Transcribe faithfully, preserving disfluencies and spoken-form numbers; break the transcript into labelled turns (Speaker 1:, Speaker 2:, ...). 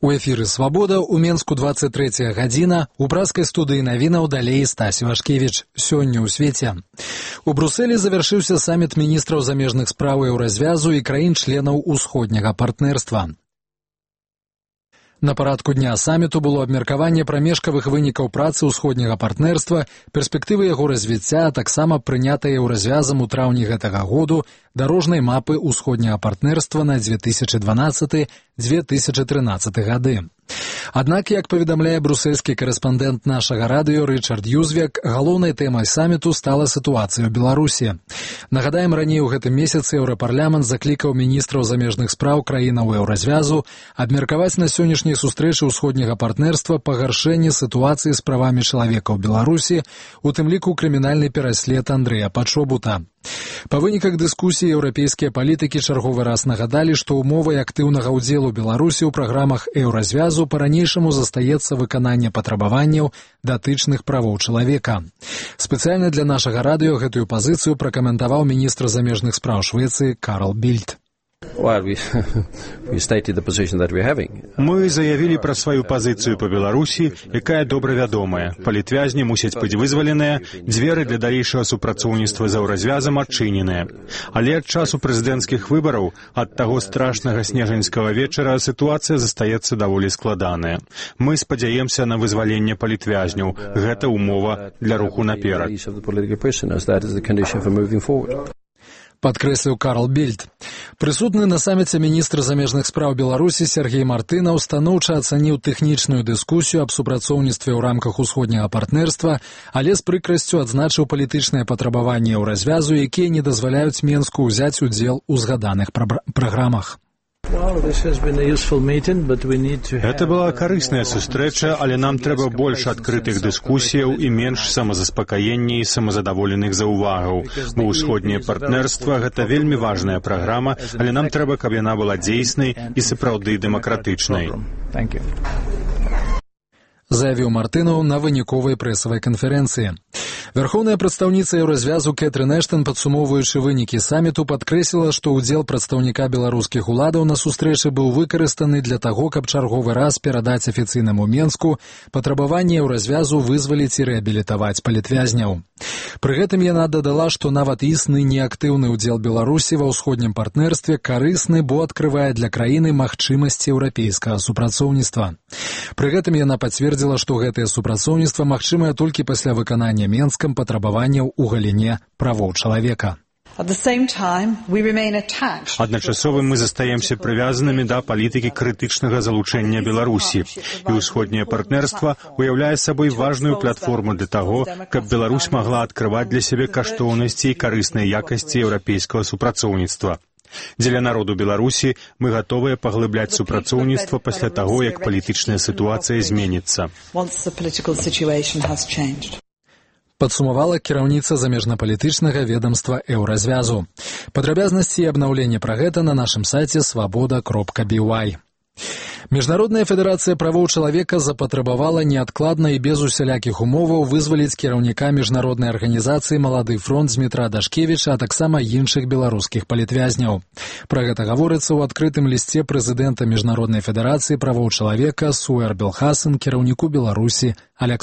Speaker 1: У эфіры «Свабода» у Менску двадцать третья гадзіна, у праскай студыі навінаў далей Стась Вашкевіч. Сёння ў свеце. У Брусэлі завяршыўся саміт міністраў замежных спраў еўразвязу і краін-членаў усходняга партнерства. На парадку дня саміту было абмеркаванне прамежкавых вынікаў працы ўсходняга партнерства, перспектывы яго развіцця, а таксама прынятая еўразвязам у траўні гэтага году дарожнай мапы ўсходняга партнерства на две тысячи дванадцаты — две тысячи трынаццаты гады. Аднак, як паведамляе брусельскі корэспандэнт нашага радыё Рычард Юзвек, галоўнай тэмай саміту стала сітуацыя ў Беларусі. Нагадаем, раней у гэтым месяцы Еўрапарламент заклікаў міністраў замежных спраў краінаў еўразвязу абмеркаваць на сённяшняй сустрэчы ўсходняга партнерства пагаршэнне сітуацыі з правамі чалавека ў Беларусі, у тым ліку крымінальны пераслед Андрэя Пачобута. Па выніках дыскусіі еўрапейскія палітыкі чарговы раз нагадалі, што умовай актыўнага ўдзелу Беларусі ў праграмах еўразвязу па-ранейшаму застаецца выкананне патрабаванняў датычных правоў чалавека. Спецыяльна для нашага радыё гэтую пазіцыю пракаментаваў міністр замежных спраў Швецыі Карл Більд.
Speaker 2: Мы заявілі пра сваю пазіцыю па Беларусі, якая добра вядомая. Палітвязні мусяць быць вызваленыя, дзверы для далейшага супрацоўніцтва з еўразвязам адчыненыя. Але ад часу прэзідэнцкіх выбараў, ад таго страшнага снежаньскага вечара, сітуацыя застаецца даволі складаная. Мы спадзяемся на вызваленне палітвязняў. Гэта умова для руху наперад.
Speaker 1: Падкрэсліў Карл Більд. Прысутны на саміце міністр замежных спраў Беларусі Сергей Мартынаў станоўча ацаніў тэхнічную дыскусію аб супрацоўніцтве ў рамках усходняга партнерства, але з прыкрасцю адзначыў палітычныя патрабаванні еўразвязу, якія не дазваляюць Менску ўзяць удзел у згаданых праграмах.
Speaker 2: Гэта была карысная сустрэча, але нам трэба больш адкрытых дыскусіяў і менш самазаспакаення і самазадаволеных заўвагаў. Бо ўсходняе партнерства — гэта вельмі важная праграма, але нам трэба, каб яна была дзейснай і сапраўды дэмакратычнай.
Speaker 1: Заявіў Мартынаў на выніковай прэсавай канферэнцыі. Вярхоўная прадстаўніца еўразвязу Кэтрын Эштон, падсумоўваючы вынікі саміту, падкрэсліла, што ўдзел прадстаўніка беларускіх уладаў на сустрэчы быў выкарыстаны для таго, каб чарговы раз перадаць афіцыйнаму Менску патрабаванне еўразвязу вызваліць і рэабілітаваць палітвязняў. Пры гэтым яна дадала, што нават існы неактыўны ўдзел Беларусі ва ўсходнім партнерстве карысны, бо адкрывае для краіны магчымасці еўрапейскага супрацоўніцтва. Пры гэтым яна пацвердзіла, што гэтае супрацоўніцтва магчымае толькі пасля выканання Менскам патрабаванняў у галіне правоў чалавека.
Speaker 2: Адначасова мы застаемся прывязанымі да палітыкі крытычнага залучэння Беларусі. І ўсходняе партнерства уяўляе сабой важную платформу для таго, каб Беларусь магла адкрываць для сябе каштоўнасці і карысныя якасці еўрапейскага супрацоўніцтва. Дзеля народу Беларусі мы гатовыя паглыбляць супрацоўніцтва пасля таго, як палітычная сітуацыя зменіцца.
Speaker 1: Падсумавала кіраўніца замежнапалітычнага ведамства еўразвязу. Падрабязнасці і абнаўленне пра гэта на нашым сайце свабода кропка би уай. Міжнародная федэрацыя правоў чалавека запатрабавала неадкладна і без усялякіх умоваў вызваліць кіраўніка міжнароднай арганізацыі «Малады фронт» Дмітра Дашкевіча, а таксама іншых беларускіх палітвязняў. Пра гэта гаворыцца ў адкрытым лісце прэзідэнта Міжнароднай федэрацыі правоў чалавека Суэр Белхасан кіраўніку Беларусі Аляксандру